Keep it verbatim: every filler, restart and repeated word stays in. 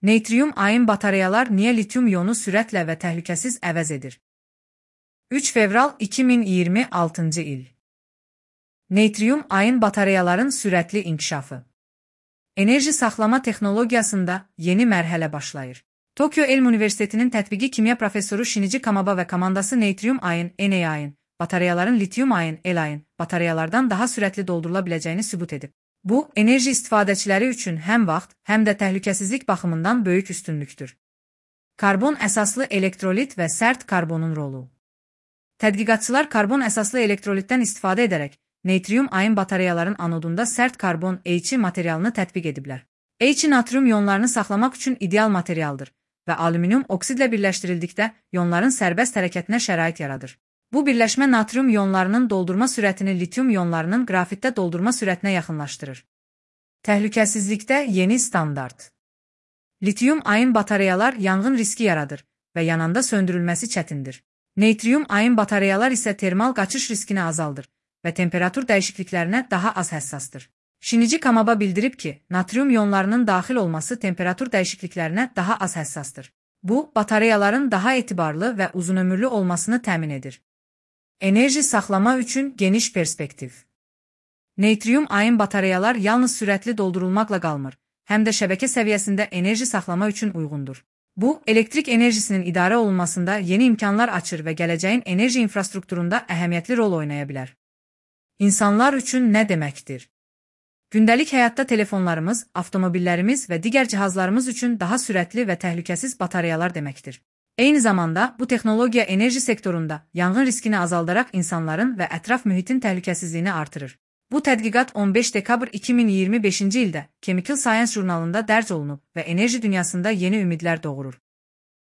Neytrium-ayon batareyalar niyə lityum-iyonu sürətlə və təhlükəsiz əvəz edir? üç fevral iki min iyirmi altıncı il. Neytrium-ayon batareyaların sürətli inkişafı. Enerji saxlama texnologiyasında yeni mərhələ başlayır. Tokyo Elm Universitetinin tətbiqi kimya professoru Shinichi Kamaba və komandası neytrium-ayon (Na-ayon) batareyaların lityum-ayon (L-ayon) batareyalardan daha sürətli doldurula biləcəyini sübut edib. Bu, enerji istifadəçiləri üçün həm vaxt, həm də təhlükəsizlik baxımından böyük üstünlükdür. Karbon əsaslı elektrolit və sərt karbonun rolu. Tədqiqatçılar karbon əsaslı elektrolitdən istifadə edərək, neytrium-ayon batareyaların anodunda sərt karbon H materialını tətbiq ediblər. H natrium iyonlarını saxlamaq üçün ideal materialdır və alüminium oksidlə birləşdirildikdə iyonların sərbəst hərəkətinə şərait yaradır. Bu birləşmə natrium iyonlarının doldurma sürətini lityum iyonlarının qrafitdə doldurma sürətinə yaxınlaşdırır. Təhlükəsizlikdə yeni standart. Lityum-ayon batareyalar yanğın riski yaradır və yananda söndürülməsi çətindir. Neytrium-ayon batareyalar isə termal qaçış riskini azaldır və temperatur dəyişikliklərinə daha az həssasdır. Shinichi Kamaba bildirib ki, natrium iyonlarının daxil olması temperatur dəyişikliklərinə daha az həssasdır. Bu, batareyaların daha etibarlı və uzunömürlü olmasını təmin edir. Enerji saxlama üçün geniş perspektiv. Neytrium-ayon batareyalar yalnız sürətli doldurulmaqla qalmır, həm də şəbəkə səviyyəsində enerji saxlama üçün uyğundur. Bu, elektrik enerjisinin idarə olunmasında yeni imkanlar açır və gələcəyin enerji infrastrukturunda əhəmiyyətli rol oynaya bilər. İnsanlar üçün nə deməkdir? Gündəlik həyatda telefonlarımız, avtomobillərimiz və digər cihazlarımız üçün daha sürətli və təhlükəsiz batareyalar deməkdir. Eyni zamanda, bu texnologiya enerji sektorunda yanğın riskini azaldaraq insanların və ətraf mühitin təhlükəsizliyini artırır. Bu tədqiqat on beş dekabr iki min iyirmi beşinci ildə Chemical Science jurnalında dərc olunub və enerji dünyasında yeni ümidlər doğurur.